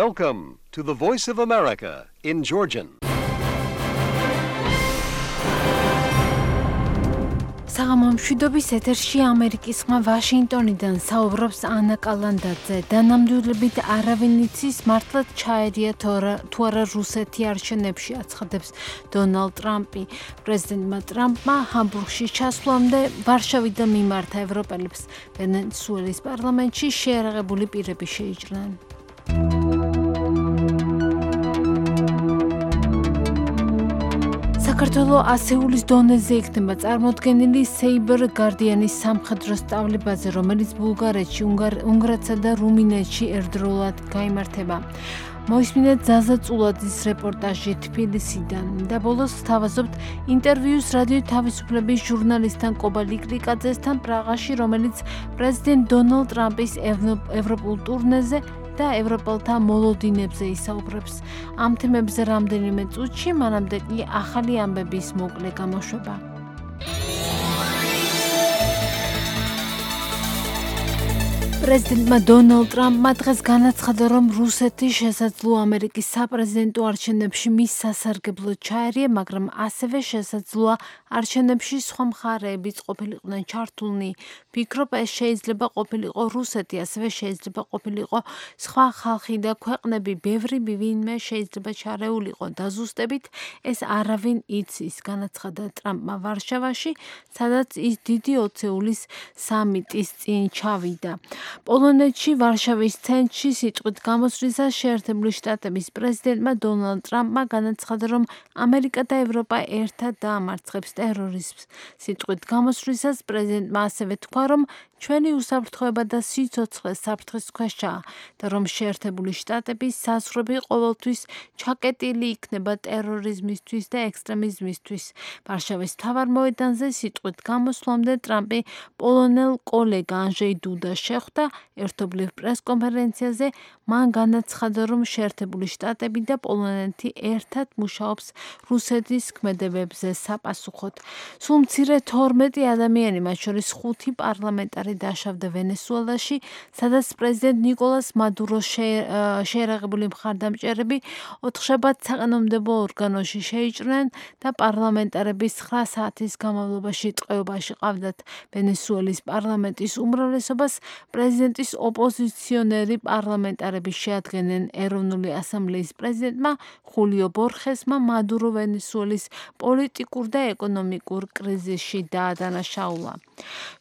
Welcome to the Voice of America in Georgian. საღამომშვიდობის ეთერში ამერიკის ხმა ვაშინგტონიდან საუბრობს ანა კალანდაძე და ნამდვილებით არავინ იცის მართლაც ჩაერია თუ არა რუსეთი არჩევნებში აცხადებს დონალდ ტრამპი. პრეზიდენტმა ტრამპმა ჰამბურგში ჩასვლამდე ვარშავიდან მიმართა ევროპელებს ვენესუელის პარლამენტში შეერაღებული პირები შეიჭრნენ. საქართველოს ასეულის დონეზე იქნება წარმოდგენილი Saber Guardian-ის სამხედრო სწავლებაზე, რომელიც ბულგარეთში, უნგრეთსა და რუმინეთში ერთდროულად გაიმართება. მოისმინეთ ზაზა წულაძის რეპორტაჟი თბილისიდან და ბოლოს ვთავაზობთ ინტერვიუს რადიო თავისუფლების ჟურნალისტთან კობა ლიკლიკაძესთან პრაღაში, რომელიც პრეზიდენტ დონალდ ტრამპის ევროპულ ტურნეზე და ევროპელთა მოლოდინებზე ისაუბრებს. ამ თემებზე რამდენიმე წუთში, მანამდე კი ახალი ამბების მოკლე გამოშვება. პრეზიდენტმა დონალდ ტრამპმა დღეს განაცხადა, რომ რუსეთი შესაძლოა ამერიკის საპრეზიდენტო არჩევნებში მის სასარგებლოდ ჩაერია, მაგრამ ასევე შესაძლოა არჩევნებში სხვა მხარეებიც ყოფილიყვნენ ჩართულნი. ფიქრობ, ეს შეიძლება ყოფილიყო რუსეთი, ასევე შეიძლება ყოფილიყო სხვა ხალხი და ქვეყნები, ბევრი ვინმე შეიძლება ჩარეულიყო და ზუსტებით ეს არავინ იცის, განაცხადა ტრამპმა ვარშავაში, სადაც ის დიდი ოცეულის სამიტის წინ ჩავიდა. პოლონეთში ვარშავის ცენტრში სიტყვით გამოსვლისას შეერთებული შტატების პრეზიდენტმა დონალდ ტრამპმა განაცხადა, რომ ამერიკა და ევროპა ერთად დაამარცხებს ტერორიზმს. სიტყვით გამოსვლისას პრეზიდენტმა ასევე თქვა, რომ ჩვენი უსაფრთხოება და სიცოცხლე საფრთხის ქვეშაა და რომ შეერთებული შტატების საზღვრები ყოველთვის ჩაკეტილი იქნება ტერორიზმისთვის და ექსტრემიზმისთვის. ვარშავის მთავარ მოედანზე სიტყვით გამოსვლამდე ტრამპი პოლონელ კოლეგა ანჟეი დუდას შეხვდა. ერთობლივ პრესკონფერენციაზე მან განაცხადა, რომ შეერთებული შტატები და პოლონეთი ერთად მუშაობს რუსეთის ქმედებებზე sapasუხოდ. სულ მცირე 12 ადამიანი, მათ შორის 5 პარლამენტარი დაშავდა ვენესუელაში, სადაც პრეზიდენტ ნიკოლას მადუროს შეერაღებული მხარდამჭერები 4 შაბათს საყანონმდებლო ორგანოში შეიჭრნენ და პარლამენტარების 9 საათის განმავლობაში ტყვეობაში ყავდათ. ვენესუელის პარლამენტის უმრავლესობას პრეზიდენტის ოპოზიციონერი პარლამენტარები შეადგენენ. ეროვნული ასამბლეის პრეზიდენტმა ხულიო ბორხესმა მადურო ვენესუელის პოლიტიკურ და ეკონომიკურ კრიზისში დაადანაშაულა.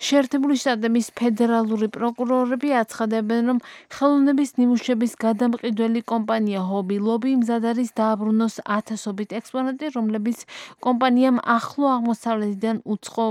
შეერთებული შტატების ფედერალური პროკურორები აცხადებენ, რომ ხელოვნების ნიმუშების გადამყიდველი კომპანია Hobby Lobby მზად არის დააბრუნოს ათასობით ექსპონატი, რომლებიც კომპანიამ ახლო აღმოსავლეთიდან უცხო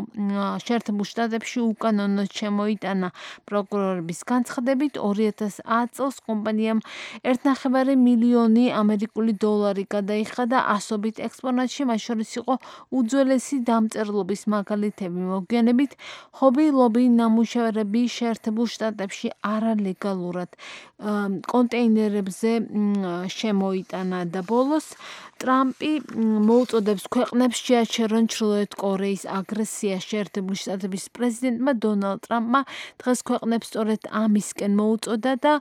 შეერთებულ შტატებში უკანონოდ შემოიტანა. პროკურორების განცხადებით 2010 წელს კომპანიამ 1,5 მილიონი ამერიკული დოლარი გადაიხადა ასობით ექსპონატში, მათ შორის იყო უძველესი დამწერლობის მაგალითები. მოგვიანებით Hobby Lobby ნამუშევრები შეერთებულ შტატებში არალეგალურად კონტეინერებზე შემოიტანა და ბოლოს ტრამპი მოუწოდებს ქვეყნებს შეაჩერონ ჩრდილოეთ კორეის აგრესია. შეერთებული შტატების პრეზიდენტმა დონალდ ტრამპმა დღეს ქვეყნებს სწორედ ამისკენ მოუწოდა და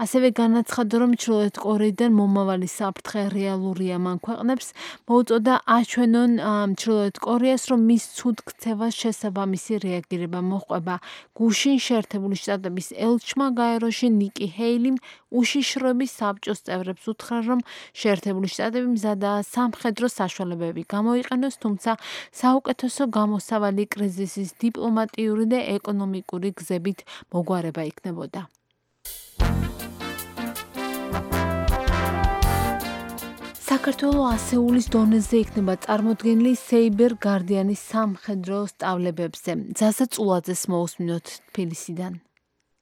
ასევე განაცხადა, რომ ჩრდილოეთ კორეიდან მომავალი საფრთხე რეალურია. მან ქვეყნებს მოუწოდა აჩვენონ ჩრდილოეთ კორეას, რომ მის ცუდ ქცევას შესაბამისი რეაგირება მოჰყვება. გუშინ შეერთებული შტატების ელჩმა გაეროში ნიკი ჰეილიმ უშიშროების საბჭოს წევრებს უთხრა, რომ შეერთებული შტატები მზადაა სამხედრო საშუალებები გამოიყენოს, თუმცა საუკეთესო გამოსავალი კრიზისის დიპლომატიური და ეკონომიკური გზებით მოგვარება იქნებოდა. საქართველოს ასეულის დონეზე იქნება წარმოდგენილი Saber Guardian-ის სამხედრო სწავლებებზე. ზაზა წულაძეს მოусმინოთ თბილისიდან.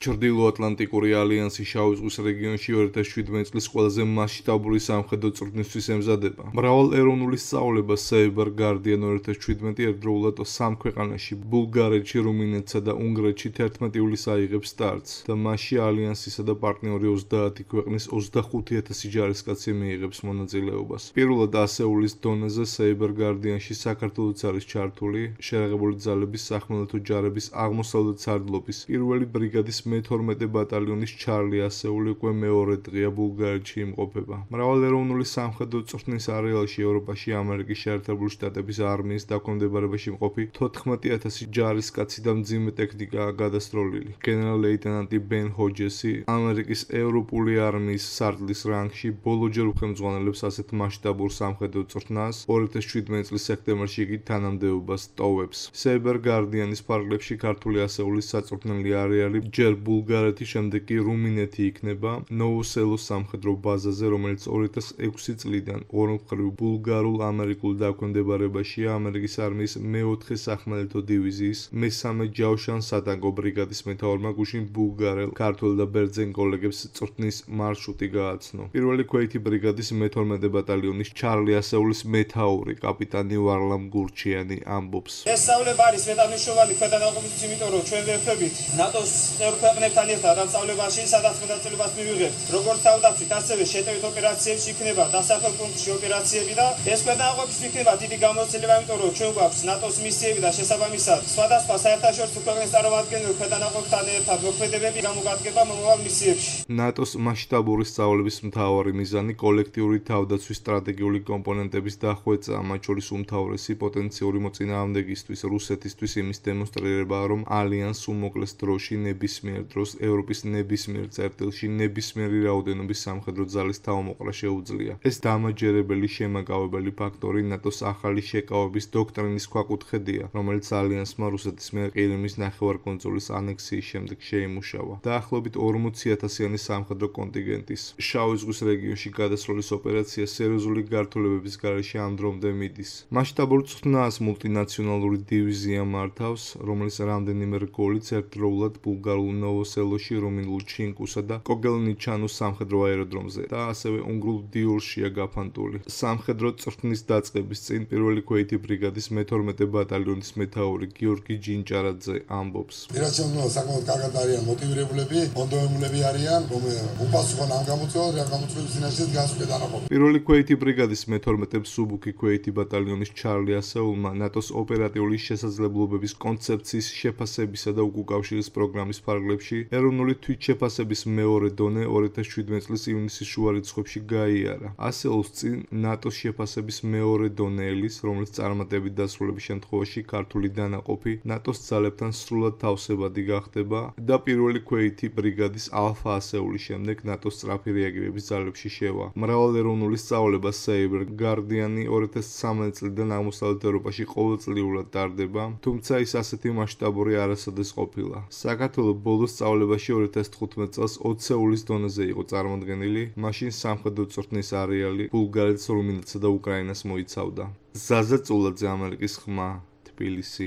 ჩრდილოატლანტიკური ალიანსის შავი ზღვის რეგიონში 2017 წლის ყველაზე მასშტაბური სამხედრო წვრთნისთვის ემზადება. მრავალეროვნული სწავლება Saber Guardian 2017 ერთდროულად 3 ქვეყანაში, ბულგარეთში, რუმინეთსა და უნგრეთში 11 ივლისს აიღებს სტარტს და მასში ალიანსისა და პარტნიორი 30 ქვეყნის 25,000 ჯარისკაცი მიიღებს მონაწილეობას. პირველად ასეულის დონეზე Saber Guardian-ში საქართველოც არის ჩართული შეერაღებული ძალების სახმელეთო ჯარების აღმოსავლეთ სარდლობის პირველი ბრიგადის მე-12 ბატალიონის ჩარლი ასეული უკვე მეორე დღეა ბულგარეთში იმყოფება. მრავალეროვნული სამხედრო წვრთნის არეალში ევროპაში ამერიკის შეერთებული შტატების არმიის დაქვემდებარებაში მყოფი 14,000 ჯარისკაცი და მძიმე ტექნიკაა გადასროლილი. გენერალ-ლეიტენანტი ბენ ჰოჯესი ამერიკის ევროპული არმიის სარდლის რანგში ბოლოჯერ უხელმძღვანელებს ასეთ მასშტაბურ სამხედრო წვრთნას 2017 წლის სექტემბერში იგი თანამდებობას ტოვებს. Saber Guardian-ის ფარგლებში ქართული ასეულის საწვრთნელი არეალი ჯერ ბულგარეთი, შემდეგ კი რუმინეთი იქნება ნოვოსელოს სამხედრო ბაზაზე, რომელიც 2006 წლიდან ორმხრივ ბულგარულ-ამერიკულ დაქვემდებარებაშია ამერიკის არმიის მე-4 სახმელეთო დივიზიის მესამე ჯავშან-სატანკო ბრიგადის მეთაურმა გუშინ ბულგარელ, ქართველ და ბერძენ კოლეგებს წვრთნის მარშრუტი გააცნო. პირველი ქვეითი ბრიგადის მე-12 ბატალიონის ჩარლი ასეულის მეთაური კაპიტანი ვარლამ გურჩიანი ამბობს. ეს სწავლება არის მეტანიშნული ქვედანაყოფით, იმიტომ რომ ჩვენ ვერხებით ნატოს წევრ ქვეყნებთან ერთად ამ სწავლებაში სადაც მონაწილეობას მივიღებთ. როგორც თავდაცვით, ასევე შეტევით ოპერაციებში იქნება დასახელ პუნქტში ოპერაციები და ეს ქვედანაყოფის იქნება დიდი გამოცდილება, იმიტომ რომ ჩვენ გვაქვს ნატოს მისიები და შესაბამისად სხვადასხვა საერთაშორისო ქვეყნის წარმომადგენლები ქვედანაყოფთან ერთად მოქმედებები გამოგადგება მომავალ მისიებში. ნატოს მასშტაბური სწავლების მთავარი მიზანი კოლექტიური თავდაცვის სტრატეგიული კომპონენტების დახვეწა, მათ შორის უმთავრესი პოტენციური მოწინააღმდეგისთვის რუსეთისთვის იმის დემონსტრირებაა, რომ ალიანსს უმოკლეს დროში ნებისმიერ დროს ევროპის ნებისმიერ წერტილში ნებისმიერი რაოდენობის სამხედრო ძალის თავმოყრა შეუძლია. ეს დამაჯერებელი შემაკავებელი ფაქტორი ნატოს ახალი შეკავების დოქტრინის ქვაკუთხედია, რომელიც ალიანსმა რუსეთის მიერ ყირიმის ნახევარკუნძულის ანექსიის შემდეგ შეიმუშავა. დაახლოებით 40,000-იანი სამხედრო კონტინგენტის შავი ზღვის რეგიონში გადასროლის ოპერაცია სერიოზული გართულებების გარეშე ამ დრომდე მიდის. მასშტაბურ წვრთნას მულტინაციონალური დივიზია მართავს, რომელიც რამდენიმე რგოლით ერთდროულად ბულგარულ ნოვოსელოში, რუმინულ ჩინკუსა და კოგელნიჩანუს სამხედრო აეროდრომზე და ასევე უნგრულ დიურშია გაფანტული. სამხედრო წვრთნის დაწყების წინ პირველი ქვეითი ბრიგადის მე-12 ბატალიონის მეთაური გიორგი ჯინჭარაძე ამბობს. ირაჩიონო საკმაოდ კარგად არიან მოტივირებულები, მონდომებულები არიან, რომ უპასუხონ ამ გამოწვევას, რა გამოწვევის წინაშე დგას ქვედანაყოფი. პირველი ქვეითი ბრიგადის მე-12 სუბუქი ქვეითი ბატალიონის ჩარლი ასეულმა ნატოს ოპერატიული შესაძლებლობების კონცეფციის შეფასებისა და უკავშირის პროგრამის ფარგლებში ეროვნული თვითშეფასების მეორე დონე 2017 წლის ივნისის შუა რიცხვებში გაიარა. ასეულს წინ ნატოს შეფასების მეორე დონეელის, რომელიც წარმატებით დასრულების შემთხვევაში ქართული დანაყოფი ნატოს ძალებთან სრულად თავსებადი გახდება და პირველი ქვეითი ბრიგადის ალფა ასეულის შემდეგ ნატოს სწრაფი რეაგირების ძალებში შევა. მრავალეროვნული სწავლება Saber Guardian-ი 2013 წლიდან აღმოსავლეთ ევროპაში ყოველწლიურად ტარდება, თუმცა ის ასეთი მასშტაბური არასოდეს ყოფილა. საქართველოს ბოლო სწავლებაში 2015 წელს 20 დონეზე იყო წარმოდგენილი, მაშინ სამხედრო წვრთნის არეალი ბულგარეთს, რუმინეთსა და უკრაინას მოიცავდა. ზაზა წულაძე, ამერიკის ხმა, თბილისი.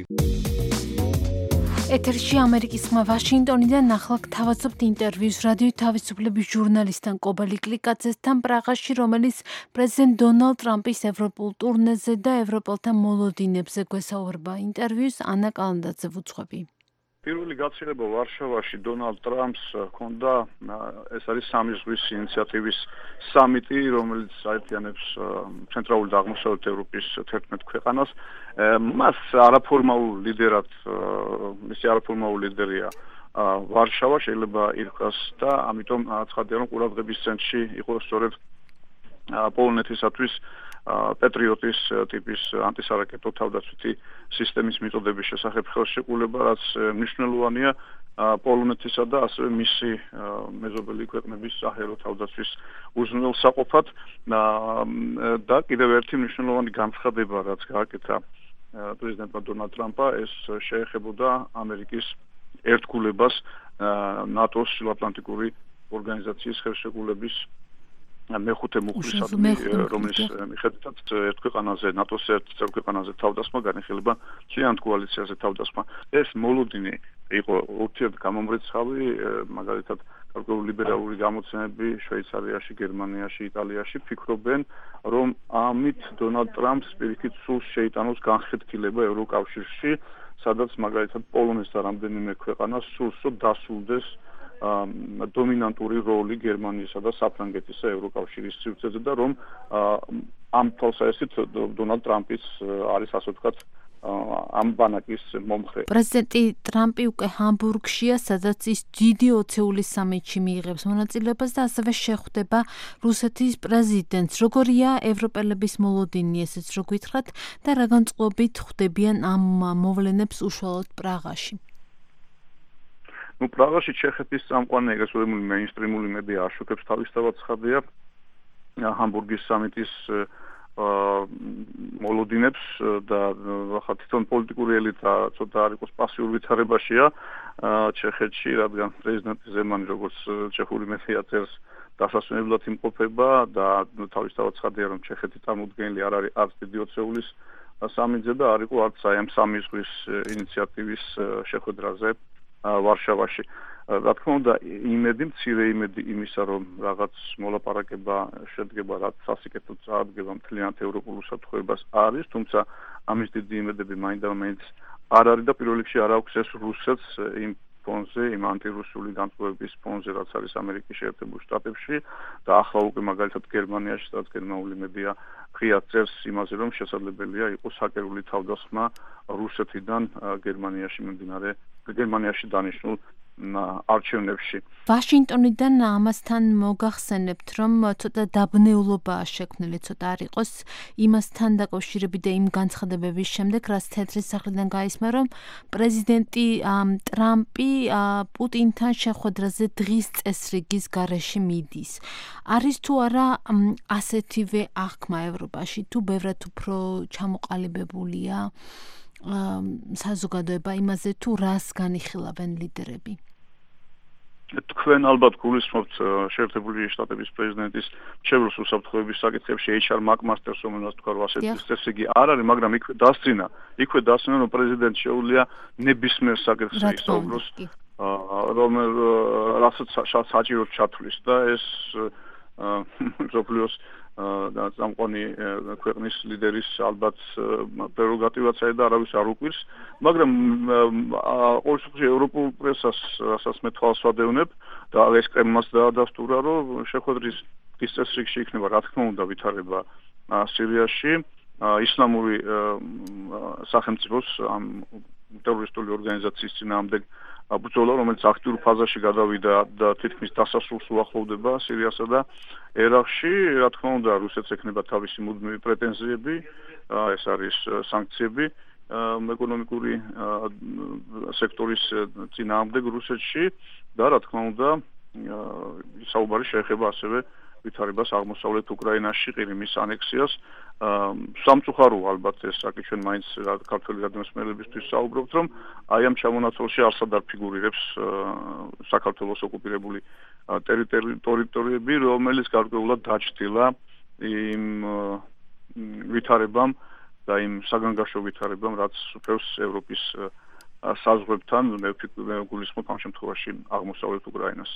ეთერში ამერიკის ხმა ვაშინგტონიდან ახლა გთავაზობთ ინტერვიუს რადიო თავისუფლების ჟურნალისტთან კობალი კლიკაძესთან პრაღაში, რომელიც პრეზიდენტ დონალდ ტრამპის ევროპულ ტურნეზე და ევროპელთა მოლოდინებზე გვესაუბრება. ინტერვიუს ანა კალანდაძე ვუძღვები. პირველი გაცილება ვარშავაში დონალდ ტრამპს ჰქონდა, ეს არის სამი ზღვის ინიციატივის სამიტი, რომელიც აერთიანებს ცენტრალურ და აღმოსავლეთ ევროპის 11 ქვეყანას. მას არაფორმალურ ლიდერად, მისი არაფორმალური ლიდერია ვარშავა, შეიძლება ირკვას და ამიტომ ცხადია, რომ ყურადღების ცენტრში იყო სწორედ პოლონეთისათვის პეტრიოტის ტიპის ანტისარაკეტო თავდაცვითი სისტემის მიწოდების შესახებ ხელშეკრულება, რაც მნიშვნელოვანია პოლონეთისა და ასევე მისი მეზობელი ქვეყნების საჰაერო თავდაცვის უზრუნველსაყოფად და კიდევ ერთი მნიშვნელოვანი განცხადება, რაც გააკეთა პრეზიდენტმა დონალდ ტრამპმა, ეს შეეხებოდა ამერიკის ერთგულებას ნატოს ჩრდილოატლანტიკური ორგანიზაციის ხელშეკრულების მეხუთე მუხლისადმი, რომლის მიხედვითაც ერთ ქვეყანაზე, ნატოს ერთ წევრ ქვეყანაზე თავდასხმა განიხილება მთლიან კოალიციაზე თავდასხმა. ეს მოლოდინი იყო ურთიერთგამომრიცხავი, მაგალითად, გარკვეული ლიბერალური გამოცემები შვეიცარიაში, გერმანიაში, იტალიაში ფიქრობენ, რომ ამით დონალდ ტრამპს პირიქით სულს შეიტანოს განხეთქილება ევროკავშირში, სადაც მაგალითად პოლონეთს და რამდენიმე ქვეყანას სულს დასულდეს დომინანტური როლი გერმანიისა და საფრანგეთისა ევროკავშირის სივრცეზე და რომ ამ თვალსაზრისით დონალდ ტრამპის არის ასე ვთქვათ ამ ბანაკის მომხრე. პრეზიდენტი ტრამპი უკვე ჰამბურგშია, სადაც ის დიდი ოცეულის სამიტში მიიღებს მონაწილეობას და ასევე შეხვდება რუსეთის პრეზიდენტს. როგორია ევროპელების მოლოდინი, ესეც რო გითხრათ და რა განწყობით ხვდებიან ამ მოვლენებს უშუალოდ პრაღაში? პრაღაში ჩეხეთის წამყვანი ეგრესული მეინსტრიმული მედია აშუქებს თავისთავად ცხადია ჰამბურგის სამიტის მოლოდინებს და ახლა თვითონ პოლიტიკური ელიტა ცოტა არ იყოს პასიურ ვითარებაშია ჩეხეთში, რადგან პრეზიდენტი ზემანი როგორც ჩეხური მედია წერს დასასვენებლად იმყოფება და თავისთავად ცხადია რომ ჩეხეთი წარმოუდგენელი არ არის არც დიდი ოცეულის სამიტზე და არ იყო არც აი ამ სამი ზღვის ინიციატივის შეხვედრაზე ვარშავაში. რა თქმა უნდა, მცირე იმედი იმისა, რომ რაღაც მოლაპარაკება შედგება, რაც სასიკეთოდ წარადგება მთლიანად ევროპულ უსაფრთხოებას არის, თუმცა ამის დიდი იმედები მაინც არ არის და პირველ რიგში არ აქვს ეს რუსეთს იმ ფონზე, იმ ანტირუსული განწყობების ფონზე, რაც არის ამერიკის შეერთებულ შტატებში და ახლა უკვე მაგალითად გერმანიაში, სადაც გერმანული მედია ღიად წერს იმაზე, რომ შესაძლებელია იყოს ჰაკერული თავდასხმა რუსეთიდან გერმანიაში დანიშნულ არჩევნებში. ვაშინგტონიდან ამასთან მოგახსენებთ, რომ ცოტა დაბნეულობაა შექმნილი, ცოტა არ იყოს იმასთან დაკავშირებით და იმ განცხადებების შემდეგ, რაც თეთრი სახლიდან გაისმა, რომ პრეზიდენტი ტრამპი პუტინთან შეხვედრაზე დღის წესრიგის გარეშე მიდის. არის თუ არა ასეთივე აღქმა ევროპაში, თუ ბევრად უფრო ჩამოყალიბებულია საზოგადოება იმაზე, თუ რას განიხილავენ ლიდერები? თქვენ ალბათ გულისხმობთ შეერთებული შტატების პრეზიდენტის მრჩევლოს უსაფრთხოების საკითხებში HR McMaster-ს, რომელსაც თქვა, რომ ასეთი წესრიგი არ არის, მაგრამ იქვე დასწრინა, რომ პრეზიდენტს შეუძლია ნებისმიერ საკითხზე ისაუბროს, რასაც საჭიროდ ჩათვლის და ეს მსოფლიოს და წამყვანი ქვეყნის ლიდერის ალბათ პრეროგატივაცია და არავის არ უკვირს, მაგრამ ყოველ შემთხვევაში ევროპულ პრესას, რასაც მე თვალს ვადევნებ და ეს კრემლმაც დაადასტურა, რომ შეხვედრის წესრიგში იქნება, რა თქმა უნდა, ვითარება სირიაში, ისლამური სახელმწიფოს ამ ტერორისტული ორგანიზაციის წინააღმდეგ ბრძოლა, რომელიც აქტიურ ფაზაში გადავიდა და თითქმის დასასრულს უახლოვდება სირიასა და ერაყში, რა თქმა უნდა, რუსეთს ექნება თავისი მუდმივი პრეტენზიები, ეს არის სანქციები ეკონომიკური სექტორის წინააღმდეგ რუსეთში და რა თქმა უნდა, საუბარი შეეხება ასევე ვითარებას აღმოსავლეთ უკრაინაში, ყირიმის ანექსიას. სამწუხარო ალბათ ეს საკითხი ჩვენ მაინც ქართველი გადამსმელებისთვის საუბრობთ, რომ აი ამ ჩამონაცვალში არსად არ ფიგურირებს საქართველოს ოკუპირებული ტერიტორიები, რომელიც გარკვეულად დაჩრდილა იმ ვითარებამ და იმ საგანგაშო ვითარებამ, რაც უფევს ევროპის საზღვრებთან, მე გულისხმობ ამ შემთხვევაში აღმოსავლეთ უკრაინას.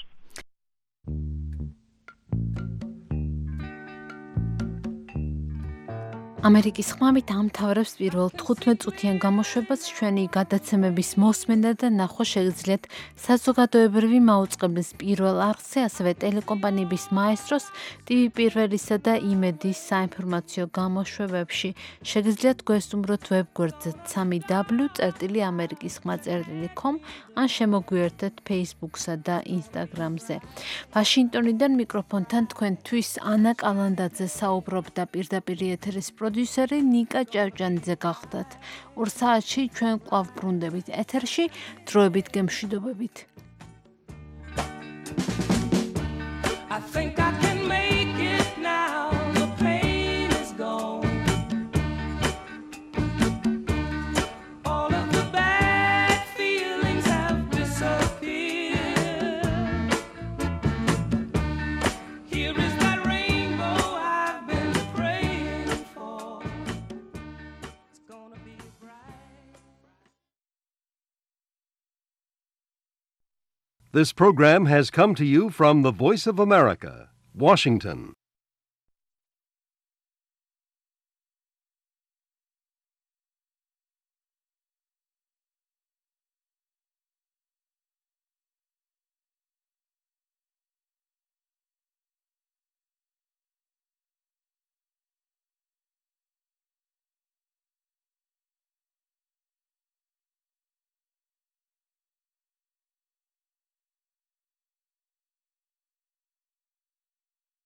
ამერიკის ხმამით ამთავრებს პირველ 15 წუთიან გამოშვებას ჩვენი გადაცემების მოსმენა და ნახვა შეგიძლიათ საზოგადოებრივი მაუწყებლის პირველ არხზე, ასევე ტელეკომპანიების მაესტროს, TV პირველისა და იმედის საინფორმაციო გამოშვებებში. შეგიძლიათ გვესტუმროთ ვებგვერდზე www.amerikiskhma.com ან შემოგვიერთეთ Facebook-სა და Instagram-ზე. ვაშინგტონიდან მიკროფონთან თქვენთვის ანა კალანდაძე საუბრობდა პირდაპირ ეთერის პროდიუსერი ნიკა ჭავჭანიძე გახდათ. 2 საათში ჩვენ კვლავ ბრუნდებით ეთერში, დროებით გემშვიდობებით. I think I can make it now. The pain is gone. All of the bad feelings have disappeared. Here is that rainbow I've been praying for. It's gonna be bright. This program has come to you from the Voice of America, Washington.